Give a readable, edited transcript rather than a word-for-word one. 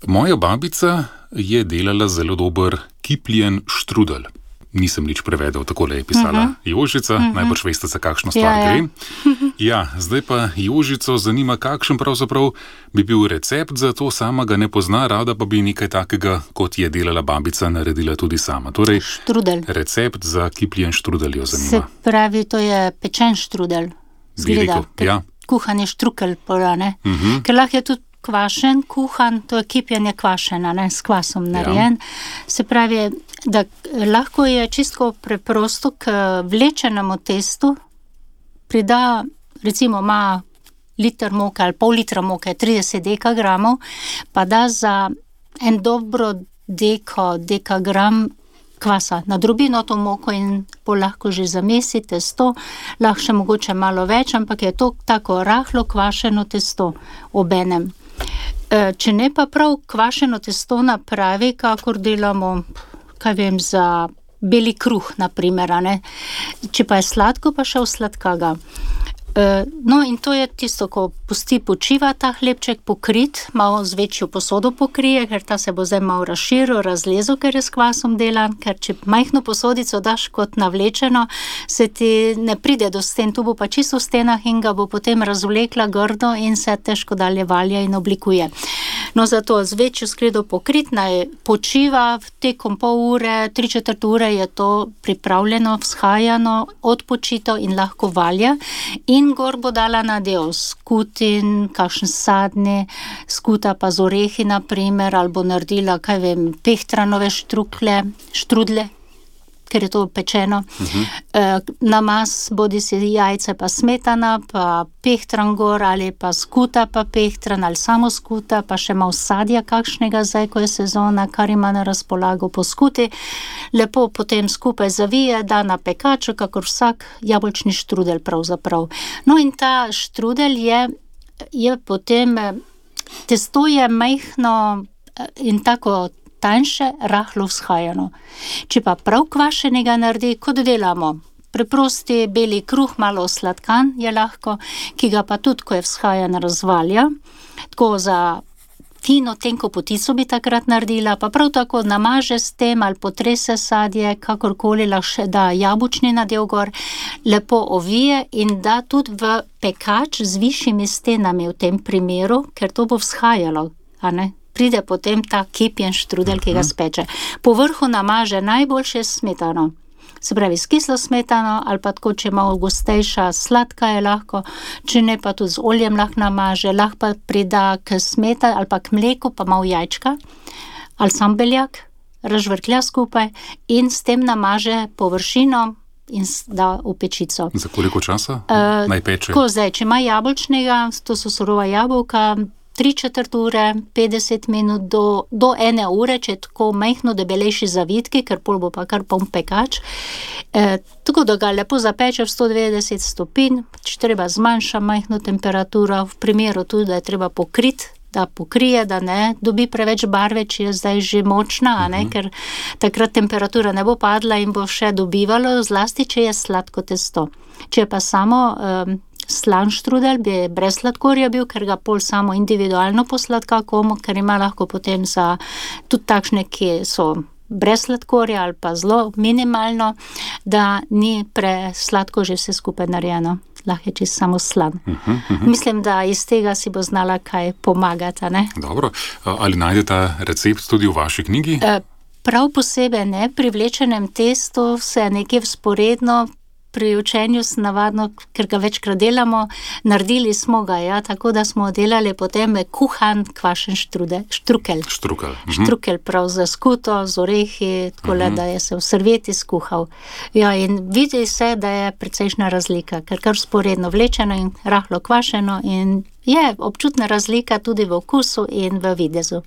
Moja babica je delala zelo dober kipljen štrudel. Nisem nič prevedel, takole je pisala Jožica, najbrž veste, za kakšno stvar gre. Ja, zdaj pa Jožico zanima, kakšen pravzaprav bi bil recept za to, sama ga ne pozna, rada pa bi nekaj takega, kot je delala babica, naredila tudi sama. Torej, Štrudel. Recept za kipljen štrudel jo zanima. Se pravi, to je pečen štrudel. Zgleda, Ja. kuhan je štrukelj, ne? Ker lahko je tudi kvašen, kuhan, to je kipljenje kvašena, ne, s kvasom narejen. Se pravi, da lahko je čisto preprosto k vlečenemu testu prida, recimo ima liter moke ali pol litra moke, 30 dekagramov, pa da za en dobro dekagram kvasa na drobino to moko in pol lahko že zamesi testo, lahko še mogoče malo več, ampak je to tako rahlo kvašeno testo obenem. Če ne pa prav kvašeno testo napravi, kakor delamo, kaj vem, za beli kruh, na primer, ne? Če pa je sladko, pa še v sladkaga. No, in to je tisto, ko pusti počiva ta hlebček pokrit, malo z večjo posodo pokrije, ker ta se bo zdaj malo razširil, razlezel, ker je s kvasom delan, ker če majhno posodico daš kot navlečeno, se ti ne pride do sten, tu bo pa čisto v stenah in ga bo potem razvlekla grdo in se težko dalje valja in oblikuje. No, zato z večjo skledo pokrit, naj počiva tekom pol ure, 3/4 ure je to pripravljeno, vzhajano, odpočito in lahko valja. In gor bo dala nadev skutin, kakšen sadni, skuta pa z orehi, na primer, ali bo naredila, kaj vem, pehtranove štrudle, ker je to pečeno. Namaz, bodi si jajce pa smetana, pa pehtran gor, ali pa skuta pa pehtran, ali samo skuta, pa še malo sadja kakšnega zdaj, ko je sezona, kar ima na razpolago po skuti. Lepo potem skupaj zavije, da na pekaču, kakor vsak jabolčni štrudel pravzaprav. No, in ta štrudel je potem, testo je majhno in tako tanjše, rahlo vzhajano. Če pa prav kvašenega naredi, kot delamo, preprosti beli kruh, malo sladkan je lahko, ki ga pa tudi, ko je vzhajan, razvalja. Tako za fino, tenko potico bi takrat naredila, pa prav tako namaže s tem ali potrese sadje, kakorkoli, lahko še da jabolčni nadev gor, lepo ovije in da tudi v pekač z višjimi stenami v tem primeru, ker to bo vzhajalo, a ne? Pride potem ta kipljen štrudel, ki ga speče. Po vrhu namaže najboljše smetano. Se pravi, s kislo smetano ali pa tako, če malo gostejša, sladka je lahko, če ne pa tudi z oljem lahko namaže, lahko pa prida k smetani ali pa k mleku, pa malo jajčka ali sam beljak, razžvrklja skupaj in s tem namaže površino in da v pečico. Za koliko časa naj peče? Tako zdaj, če ima jabolčnega, to so surova jabolka, 3/4 ure, 50 minut do 1 ure, če je tako majhno debelejši zavitki, ker pol bo pa kar poln pekač. Tako da ga lepo zapeče v 190 stopinj, če treba zmanjša majhno temperaturo, v primeru tudi, da je treba pokriti, da pokrije, da ne dobi preveč barve, če je zdaj že močna, a ne, ker takrat temperatura ne bo padla in bo še dobivalo, zlasti, če je sladko testo. Če je pa samo slan štrudel, bi brez sladkorja bil, ker ga pol samo individualno posladka komu, ker ima lahko potem za tudi takšne, ki so brez sladkorja ali pa zelo minimalno, da ni presladko že vse skupaj narejeno. Lahko je čisto samo slan. Mislim, da iz tega si bo znala kaj pomagati, ne? Dobro. Ali najdete recept tudi v vaši knjigi? Prav posebej ne. Pri vlečenem testu se nekje vzporedno pri učenju navadno, ker ga večkrat delamo, naredili smo ga, ja, tako da smo delali potem kuhan kvašen štrukelj. Štrukelj prav za skuto, z orehi, tako da je se v servieti skuhal. Ja, in vidi se, da je precejšnja razlika, ker kar vzporedno vlečeno in rahlo kvašeno in je občutna razlika tudi v okusu in v videzu.